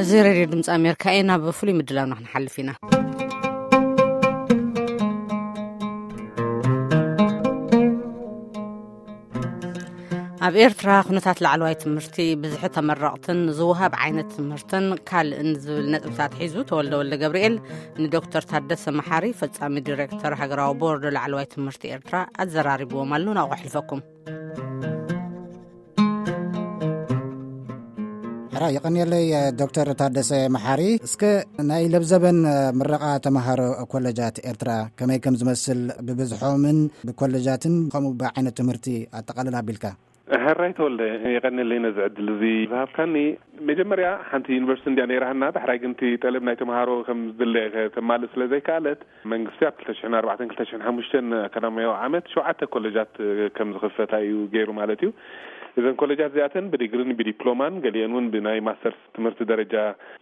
እዚ ሬድዮ ድምፂ ኣሜሪካ እዩ። ናብ ፍሉይ ምድላውና ክንሓልፍ ኢና። ኣብ ኤርትራ ኩነታት ላዕለዋይ ትምህርቲ፣ ብዝሒ ተመረቕትን ዝወሃብ ዓይነት ትምህርትን ካልእን ዝብል ነጥብታት ሒዙ፣ ተወልደ ወልደ ገብርኤል ንዶክተር ታደሰ መሓሪ፣ ፈጻሚ ዲሬክተር ሃገራዊ ቦርድ ላዕለዋይ ትምህርቲ ኤርትራ፣ ኣዘራሪብዎም ኣሎ። ናብኡ ከሕልፈኩም። ሕራ የቐንየለይ፣ ዶክተር ታደሰ መሓሪ። እስከ ናይ ለብዘበን ምረቓ ተምሃሮ ኮለጃት ኤርትራ ከመይ ከም ዝመስል፣ ብብዝሖምን ብኮለጃትን ከምኡ ብዓይነት ትምህርቲ ኣጠቓልል ኣቢልካ። ሕራይ ተወልደ፣ የቐንየለይ ነዚ ዕድል እዚ ዝሃብካኒ። መጀመርያ ሓንቲ ዩኒቨርሲቲ እንድያ ነይራህና፣ ዳሕራይ ግን እቲ ጠለብ ናይ ተምሃሮ ከም ዝድለ ከተማልእ ስለ ዘይከኣለት፣ መንግስቲ ኣብ ክልተ ሽሕን ኣርባዕተን ክልተ ሽሕን ሓሙሽተን ኣካዳሚያዊ ዓመት ሸውዓተ ኮለጃት ከም ዝኽፈታ እዩ ገይሩ ማለት እዩ። እዘን ኮለጃት እዚኣተን ብዲግሪን ብዲፕሎማን፣ ገሊአን እውን ብናይ ማስተርስ ትምህርቲ ደረጃ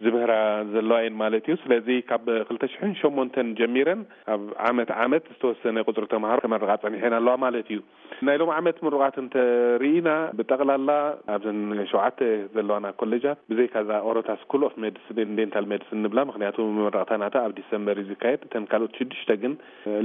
ዝምህራ ዘለዋ እየን ማለት እዩ። ስለዚ ካብ ክልተ ሽሕን ሸሞንተን ጀሚረን ኣብ ዓመት ዓመት ዝተወሰነ ቁፅሪ ተምሃሮ ከመርቓ ጸኒሐን ኣለዋ ማለት እዩ። ናይ ሎም ዓመት ምሩቓት እንተርኢና፣ ብጠቕላላ ኣብዘን ሸውዓተ ዘለዋና ኮሌጃት፣ ብዘይካዛ ኦሮታ ስኩል ኦፍ ሜዲሲን ኤንድ ዴንታል ሜዲሲን ንብላ፣ ምኽንያቱ መመረቕታ ናታ ኣብ ዲሰምበር እዩ ዝካየድ። እተን ካልኦት ሽዱሽተ ግን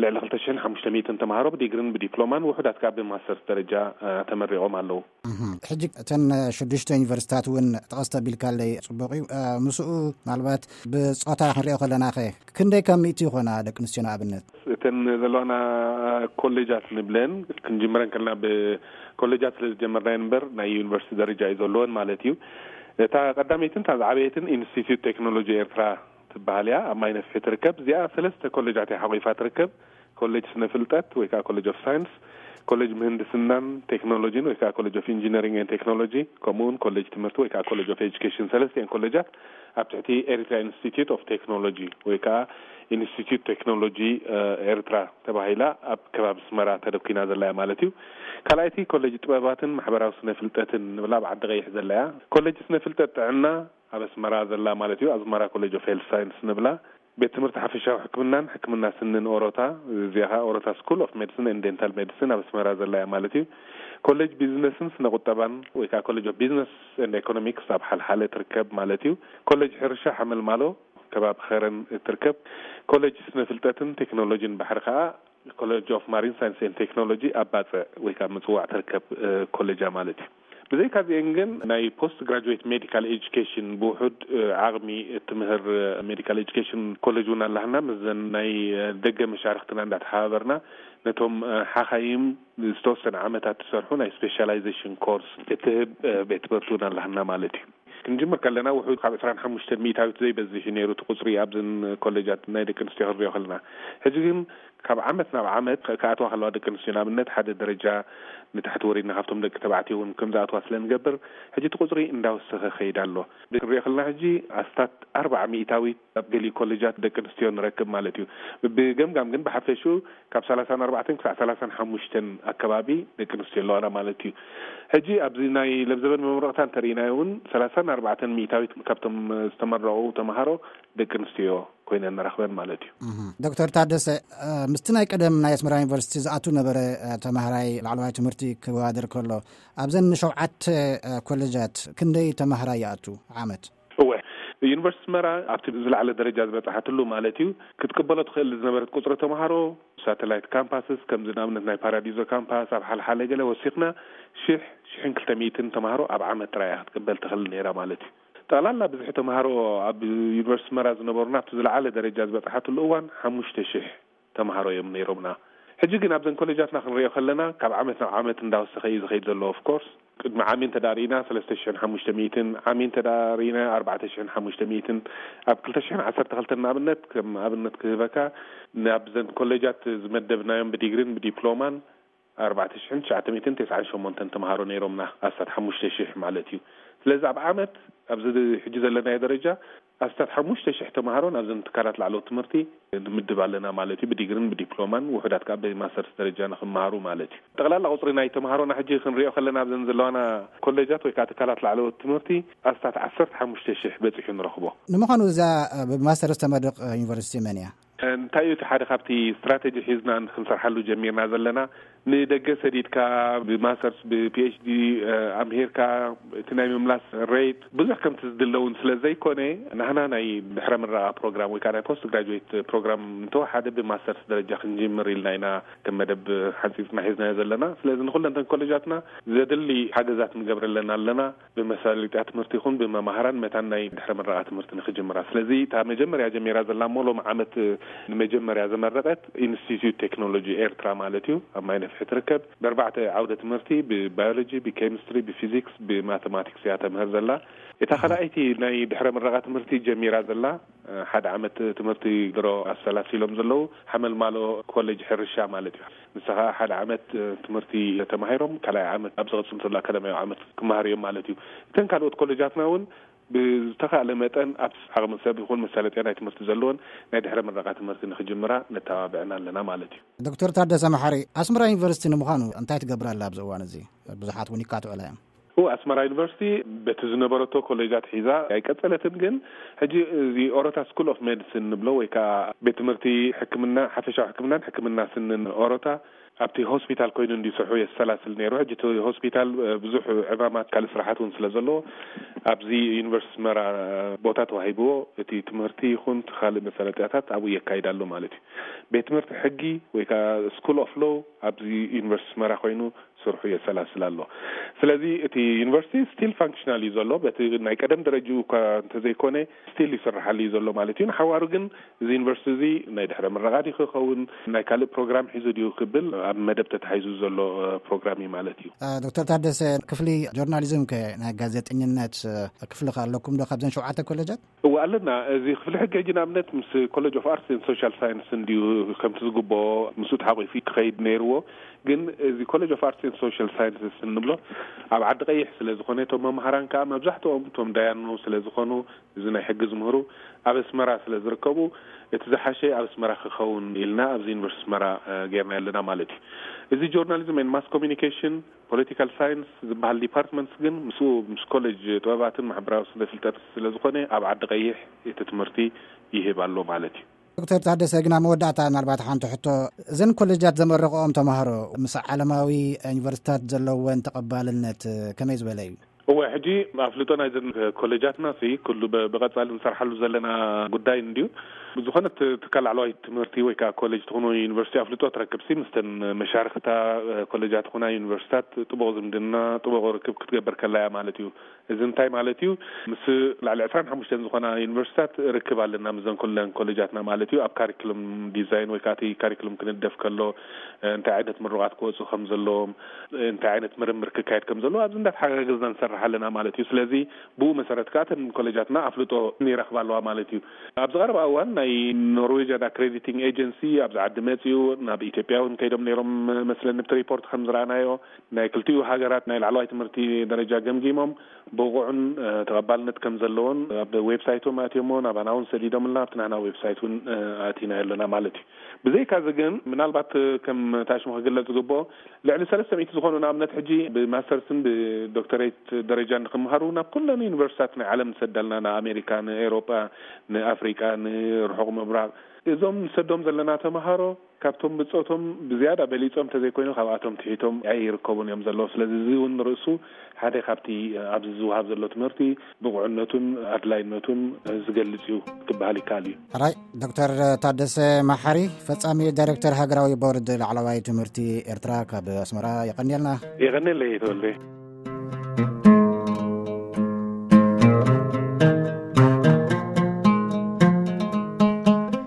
ልዕሊ ክልተ ሽሕን ሓሙሽተ ሚእትን ተምሃሮ ብዲግሪን ብዲፕሎማን፣ ውሑዳት ከኣ ብማስተርስ ደረጃ፣ እ፣ ተመሪቖም ኣለዉ። እህም። ሕጂ እተን ሽዱሽተ ዩኒቨርሲታት እውን ጠቐስ ተቢልካለይ፣ ጽቡቕ እዩ። እ፣ ምስኡ ምናልባት ብጾታ ክንሪኦ ከለናኸ፣ ክንደይ ካብ ሚእቲ ይኾና ደቂ ኣንስትዮ ንኣብነት? እተን ዘለዋና ኮሌጃት ንብለን፣ ክንጅምረን ከለና ብኮሌጃት ስለ ዝጀመርናየን እምበር፣ ናይ ዩኒቨርሲቲ ደረጃ እዩ ዘለወን ማለት እዩ። እታ ቀዳመይትን እታ ዝዓበየትን ኢንስቲትዩት ቴክኖሎጂ ኤርትራ ትበሃል እያ፣ ኣብ ማይ ነፍሒ ትርከብ። እዚኣ ሰለስተ ኮሌጃት እያ ሓቑፋ ትርከብ። ኮሌጅ ስነ ፍልጠት ወይ ከዓ ኮሌጅ ኦፍ ሳይንስ፣ ኮሌጅ ምህንድስናን ቴክኖሎጂን ወይ ከዓ ኮሌጅ ኦፍ ኢንጂነሪንግ ኤንድ ቴክኖሎጂ፣ ከምኡ እውን ኮሌጅ ትምህርቲ ወይ ከዓ ኮሌጅ ኦፍ ኤጁኬሽን። ሰለስቲኤን ኮሌጃት ኣብ ትሕቲ ኤሪትራ ኢንስቲትዩት ኦፍ ቴክኖሎጂ ወይ ከዓ ኢንስቲትዩት ቴክኖሎጂ፣ እ፣ ኤርትራ ተባሂላ ኣብ ከባቢ ኣስመራ ተደኲና ዘላ እያ ማለት እዩ። ካልኣይቲ ኮሌጅ ጥበባትን ማሕበራዊ ስነ ፍልጠትን ንብላ ኣብ ዓዲ ቀይሕ ዘላ እያ። ኮሌጅ ስነ ፍልጠት ጥዕና ኣብ ኣስመራ ዘላ ማለት እዩ፣ ኣስመራ ኮሌጅ ኦፍ ሄልት ሳይንስ ንብላ። ቤት ትምህርቲ ሓፈሻዊ ሕክምናን ሕክምና ስንን ኦሮታ፣ እዚኣ ኸዓ ኦሮታ ስኩል ኦፍ ሜዲሲን ኤንድ ዴንታል ሜዲሲን ኣብ ኣስመራ ዘላ እያ ማለት እዩ። ኮሌጅ ቢዝነስን ስነ ቁጠባን ወይ ከዓ ኮሌጅ ኦፍ ቢዝነስ ኤንድ ኢኮኖሚክስ ኣብ ሓልሓለ ትርከብ ማለት እዩ። ኮሌጅ ሕርሻ ሓመልማሎ ከባቢ ኸረን ትርከብ። ኮሌጅ ስነ ፍልጠትን ቴክኖሎጂን ባሕሪ ኸዓ ኮሌጅ ኦፍ ማሪን ሳይንስ ኤንድ ቴክኖሎጂ ኣብ ባጽዕ ወይ ከዓ ምጽዋዕ ትርከብ፣ እ፣ ኮሌጃ ማለት እዩ። ብዘይካ እዚአን ግን ናይ ፖስት ግራጁዌት ሜዲካል ኤጁኬሽን ብውሑድ፣ እ፣ ዓቕሚ እትምህር፣ እ፣ ሜዲካል ኤጁኬሽን ኮሌጅ እውን ኣላህና። ምስዘን ናይ፣ እ፣ ደገ መሻርክትና እንዳተሓባበርና ነቶም፣ እ፣ ሓኻይም ዝተወሰነ ዓመታት ዝሰርሑ ናይ ስፔሻላይዜሽን ኮርስ እትህብ፣ እ፣ ቤት ትምህርቲ እውን ኣላህና ማለት እዩ። ክንጅምር ከለና ውሑድ ካብ ዕስራን ሓሙሽተን ሚእታዊት ዘይበዝሕ እዩ ነይሩ እቲ ቁፅሪ ኣብዘን ኮሌጃት ናይ ደቂ ኣንስትዮ ክንሪኦ ከለና። ሕጂ ግን ካብ ዓመት ናብ ዓመት ከ-፣ ክኣትዋ ከለዋ ደቂ ኣንስትዮ ንኣብነት ሓደ ደረጃ ንታሕቲ ወሪድና ካብቶም ደቂ ተባዕትዮ እውን ከም ዝኣትዋ ስለ ንገብር ሕጂ እቲ ቁፅሪ እንዳወሰኸ ከይድ ኣሎ። ክንሪኦ ከለና ሕጂ ኣስታት ኣርባዓ ሚእታዊት ኣብ ገሊኡ ኮሌጃት ደቂ ኣንስትዮ ንረክብ ማለት እዩ። ብገምጋም ግን ብሓፈሽኡ ካብ ሰላሳን ኣርባዕተን ክሳዕ ሰላሳን ሓሙሽተን ኣከባቢ ደቂ ኣንስትዮ ኣለዋና ማለት እዩ። ሕጂ ኣብዚ ናይ ለብዘበን መመረቕታ እንተርኢናዮ እውን ሰላሳን ኣርባዕተን ሚእታዊት ካብቶም ዝተመረቑ ተምሃሮ ደቂ ኣንስትዮ ኮይነን ንረኽበን ማለት እዩ። እህ። ዶክተር ታደሰ፣ እ፣ ምስቲ ናይ ቀደም ናይ ኣስመራ ዩኒቨርሲቲ ዝኣቱ ነበረ፣ እ፣ ተምሃራይ ላዕለዋይ ትምህርቲ ክወዳደር ከሎ፣ ኣብዘን ሸውዓተ፣ እ፣ ኮሌጃት ክንደይ ተምሃራይ ይኣቱ ዓመት? እወ፣ ዩኒቨርሲቲ ኣስመራ ኣብቲ ዝለዓለ ደረጃ ዝበፅሓትሉ ማለት እዩ፣ ክትቅበሎ ትኽእል ዝነበረት ቁፅሪ ተምሃሮ፣ ሳተላይት ካምፓስስ፣ ከምዚ ንኣብነት ናይ ፓራዲዞ ካምፓስ፣ ኣብ ሓልሓለ ገለ ወሲኽና ሽሕ፣ ሽሕን ክልተ ሚእትን ተምሃሮ ኣብ ዓመት ጥራይ እያ ክትቅበል ትኽእል ነይራ ማለት እዩ። ጠቕላላ ብዝሒ ተምሃሮ ኣብ ዩኒቨርሲቲ ኣስመራ ዝነበሩና ኣብቲ ዝለዓለ ደረጃ ዝበፅሓትሉ እዋን ሓሙሽተ ሽሕ ተምሃሮ እዮም ነይሮምና። ሕጂ ግን ኣብዘን ኮሌጃትና ክንሪኦ ከለና ካብ ዓመት ናብ ዓመት እንዳወሰኸ እዩ ዝኸይድ ዘሎ። ኦፍ ኮርስ ቅድሚ ዓሚ እንተ ደኣ ርኢና ሰለስተ ሽሕን ሓሙሽተ ሚእትን፣ ዓሚ እንተ ደኣ ርኢና ኣርባዕተ ሽሕን ሓሙሽተ ሚእትን፣ ኣብ ክልተ ሽሕን ዓሰርተ ክልተን ንኣብነት፣ ከም ኣብነት ክህበካ፣ ናብዘን ኮሌጃት ዝመደብናዮም ብዲግሪን ብዲፕሎማን ኣርባዕተ ሽሕን ትሽዓተ ሚእትን ተስዓን ሸሞንተን ተምሃሮ ነይሮምና፣ ኣስታት ሓሙሽተ ሽሕ ማለት እዩ። ስለዚ ኣብ ዓመት ኣብዚ ሕጂ ዘለናዮ ደረጃ ኣስታት ሓሙሽተ ሽሕ ተምሃሮ ናብዘን ትካላት ላዕለዎት ትምህርቲ ንምድብ ኣለና ማለት እዩ። ብዲግሪን ብዲፕሎማን ውሑዳት ከኣ ብማስተርስ ደረጃ ንኽመሃሩ ማለት እዩ። ጠቕላላ ቁፅሪ ናይ ተምሃሮና ሕጂ ክንሪኦ ከለና ኣብዘን ዘለዋና ኮሌጃት ወይ ከዓ ትካላት ላዕለዎት ትምህርቲ ኣስታት ዓሰርተ ሓሙሽተ ሽሕ በፂሑ ንረኽቦ። ንምዃኑ እዛ፣ እ፣ ብማስተርስ ተመርቕ፣ እ፣ ዩኒቨርሲቲ መን እያ? እንታይ እዩ እቲ ሓደ ካብቲ ስትራቴጂ ሒዝና ክንሰርሓሉ ጀሚርና ዘለና? ንደገ ሰዲድካ ብማስተርስ ብፒኤችዲ ኣምሂርካ እቲ ናይ ምምላስ ሬት ብዙሕ ከምቲ ዝድለውን ስለ ዘይኮነ፣ ናህና ናይ ድሕረ ምረቓ ፕሮግራም ወይ ከዓ ናይ ፖስት ግራጁዌት ፕሮግራም እንተወሓደ ብማስተርስ ደረጃ ክንጅምር ኢልና ኢና ከም መደብ ሓንፂፅና ሒዝናዮ ዘለና። ስለዚ ንኩለንተን ኮሌጃትና ዘድሊ ሓገዛት ንገብረለን ኣለና። ብመሳለጥያ ትምህርቲ ይኹን ብመማህራን መታን ናይ ድሕረ ምረቓ ትምህርቲ ንክጅምራ። ስለዚ እታ መጀመርያ ጀሚራ ዘላ እሞ ሎም ዓመት ንመጀመርያ ዘመረቀት ኢንስቲትዩት ቴክኖሎጂ ኤርትራ ማለት እዩ። ኣብ ማይ ነፍሒ ትርከብ። ብኣርባዕተ ዓውደ ትምህርቲ፣ ብባዮሎጂ፣ ብኬሚስትሪ፣ ብፊዚክስ፣ ብማተማቲክስ እያ ተምህር ዘላ። እታ ካልኣይቲ ናይ ድሕረ ምረቓ ትምህርቲ ጀሚራ ዘላ ሓደ ዓመት ትምህርቲ ድሮ ኣሰላሲሎም ዘለዉ ሓመልማሎ ኮሌጅ ሕርሻ ማለት እዩ። ንሳ ከዓ ሓደ ዓመት ትምህርቲ ተማሂሮም ካልኣይ ዓመት ኣብ ዝቐፅል ዘሎ ኣካዳሚያዊ ዓመት ክመሃሩ እዮም ማለት እዩ። እተን ካልኦት ኮሌጃትና እውን ብዝተኻእለ መጠን ኣብ ዓቕሚ ሰብ ይኹን መሳለጥያ ናይ ትምህርቲ ዘለዎን ናይ ድሕረ ምረቓ ትምህርቲ ንክጅምራ ነተባብዐን ኣለና ማለት እዩ። ዶክተር ታደሰ መሓሪ፣ ኣስመራ ዩኒቨርሲቲ ንምዃኑ እንታይ ትገብር ኣላ ኣብዚ እዋን እዚ? ብዙሓት እውን ይካትዑላ እዮም። ኡ ኣስመራ ዩኒቨርሲቲ በቲ ዝነበረቶ ኮሌጃት ሒዛ ኣይቀጸለትን። ግን ሕጂ እዚ ኦሮታ ስኩል ኦፍ ሜዲሲን ንብሎ ወይ ከዓ ቤት ትምህርቲ ሕክምና፣ ሓፈሻዊ ሕክምናን ሕክምና ስንን ኦሮታ ኣብቲ ሆስፒታል ኮይኑ እንዲሰርሑ የሰላስል ነይሩ። ሕጂ እቲ ሆስፒታል ብዙሕ ዕማማት ካልእ ስራሓት እውን ስለ ዘለዎ ኣብዚ ዩኒቨርሲቲ ኣስመራ ቦታ ተዋሂብዎ እቲ ትምህርቲ ይኹን እቲ ካልእ መሰረጥያታት ኣብኡ የካይድ ኣሎ ማለት እዩ። ቤት ትምህርቲ ሕጊ ወይ ከዓ ስኩል ኦፍ ሎው ኣብዚ ዩኒቨርሲቲ ኣስመራ ኮይኑ ስርሑ የሰላስል ኣሎ። ስለዚ እቲ ዩኒቨርሲቲ ስቲል ፋንክሽናል እዩ ዘሎ። በቲ ናይ ቀደም ደረጅኡ እኳ እንተዘይኮነ ስቲል ይስርሓሉ እዩ ዘሎ ማለት እዩ። ንሓዋሩ ግን እዚ ዩኒቨርሲቲ እዚ ናይ ድሕረ ምረቓ ድዩ ክኸውን፣ ናይ ካልእ ፕሮግራም ሒዙ ድዩ ክብል ኣብ መደብ ተታሒዙ ዘሎ ፕሮግራም እዩ ማለት እዩ። ዶክተር ታደሰ፣ ክፍሊ ጆርናሊዝም ከ ናይ ጋዜጠኝነት ክፍሊ ከ ኣለኩም ዶ ካብዘን ሸውዓተ ኮሌጃት? እወ ኣለና። እዚ ክፍሊ ሕጊ ሕጂ ንኣብነት ምስ ኮሌጅ ኦፍ ኣርትስ ኤንድ ሶሻል ሳይንስ እንድዩ ከምቲ ዝግብኦ ምስኡ ተሓቂፉ ክኸይድ ነይርዎ። ግን እዚ ኮሌጅ ኦፍ ኣርትስ ኤንድ ሶሻል ሳይንስስ እንብሎ ኣብ ዓዲ ቀይሕ ስለ ዝኾነ፣ እቶም መምሃራን ከዓ መብዛሕትኦም እቶም ዳያኑ ስለ ዝኾኑ፣ እዚ ናይ ሕጊ ዝምህሩ ኣብ ኣስመራ ስለ ዝርከቡ፣ እቲ ዝሓሸ ኣብ ኣስመራ ክኸውን ኢልና ኣብዚ ዩኒቨርሲቲ ኣስመራ ጌርና ኣለና ማለት እዩ። እዚ ጆርናሊዝም ኤንድ ማስ ኮሚኒኬሽን ፖለቲካል ሳይንስ ዝበሃል ዲፓርትመንትስ ግን ምስኡ ምስ ኮሌጅ ጥበባትን ማሕበራዊ ስነ ፍልጠት ስለ ዝኾነ ኣብ ዓዲ ቀይሕ እቲ ትምህርቲ ይህብ ኣሎ ማለት እዩ። ዶክተር ታደሰ፣ ግና መወዳእታ ምናልባት ሓንቲ ሕቶ፣ እዘን ኮሌጃት ዘመረቕኦም ተማሃሮ ምስ ዓለማዊ ዩኒቨርሲታት ዘለወን ተቐባልነት ከመይ ዝበለ እዩ? እወ፣ ሕጂ ኣፍልጦ ናይዘን ኮሌጃትና ሲ ኩሉ ብ- ብቐጻሊ ንሰርሓሉ ዘለና ጉዳይ እንድዩ። ዝኾነ ት- ትካል ላዕለዋይ ትምህርቲ ወይ ከዓ ኮሌጅ ትኹን ወይ ዩኒቨርሲቲ ኣፍልጦ ትረክብ ሲ ምስተን መሻርክታ ኮሌጃት ትኹና ዩኒቨርሲታት ጥቡቕ ዝምድና ጥቡቕ ርክብ ክትገብር ከላያ ማለት እዩ። እዚ እንታይ ማለት እዩ? ምስ ላዕሊ ዕስራን ሓሙሽተን ዝኾና ዩኒቨርሲታት ርክብ ኣለና ምስዘን ኩለን ኮሌጃትና ማለት እዩ። ኣብ ካሪክሉም ዲዛይን ወይ ከዓ እቲ ካሪክሉም ክንደፍ ከሎ እንታይ ዓይነት ምሩቓት ክወፁ ከም ዘለዎም እንታይ ዓይነት ምርምር ክካየድ ከም ዘለዎ ኣብዚ እንዳተሓጋገዝና ንሰርሕ ኣለና ማለት እዩ። ስለዚ ብኡ መሰረት ከዓ እተን ኮሌጃትና ኣፍልጦ ይረኽባ ኣለዋ ማለት እዩ። ኣብዚ ቀረባ እዋን ናይ ኖርዌጅያን ኣክሬዲቲንግ ኤጀንሲ ኣብዚ ዓዲ መፅኡ ናብ ኢትዮጵያ እውን ከይዶም ነይሮም መስለኒ ብቲ ሪፖርት ከም ዝረኣናዮ ናይ ክልቲኡ ሃገራት ናይ ላዕለዋይ ትምህርቲ ደረጃ ገምጊሞም ብቑዕን ተቐባልነት ከም ዘለዎን ኣብ ዌብሳይቶም ኣእትዮሞ ናባና እውን ሰዲዶምልና ኣብቲ ናህና ዌብሳይት እውን ኣእቲናዮ ኣለና ማለት እዩ። ብዘይካዚ ግን ምናልባት ከም ታሽሙ ክግለጽ ዝግብኦ ልዕሊ ሰለስተ ሚእቲ ዝኾኑ ንኣብነት ሕጂ ብማስተርስን ብዶክተሬት ደረጃ ንክምሃሩ ናብ ኩለን ዩኒቨርሲታት ናይ ዓለም ንሰዳልና ንኣሜሪካ ንኤሮጳ ንኣፍሪቃ ንርሑቕ ምብራቕ እዞም ንሰዶም ዘለና ተምሃሮ ካብቶም ብጾቶም ብዝያዳ በሊጾም እንተዘይኮይኑ ካብኣቶም ትሒቶም ኣይርከቡን እዮም ዘለዉ። ስለዚ እዚ እውን ንርእሱ ሓደ ካብቲ ኣብዚ ዝወሃብ ዘሎ ትምህርቲ ብቑዕነቱን ኣድላይነቱን ዝገልጽ እዩ ክበሃል ይከኣል እዩ። ሕራይ ዶክተር ታደሰ ማሓሪ ፈጻሚ ዳይሬክተር ሃገራዊ ቦርድ ላዕለዋይ ትምህርቲ ኤርትራ ካብ ኣስመራ የቐንየልና። የቐንየለይ ተወልደ።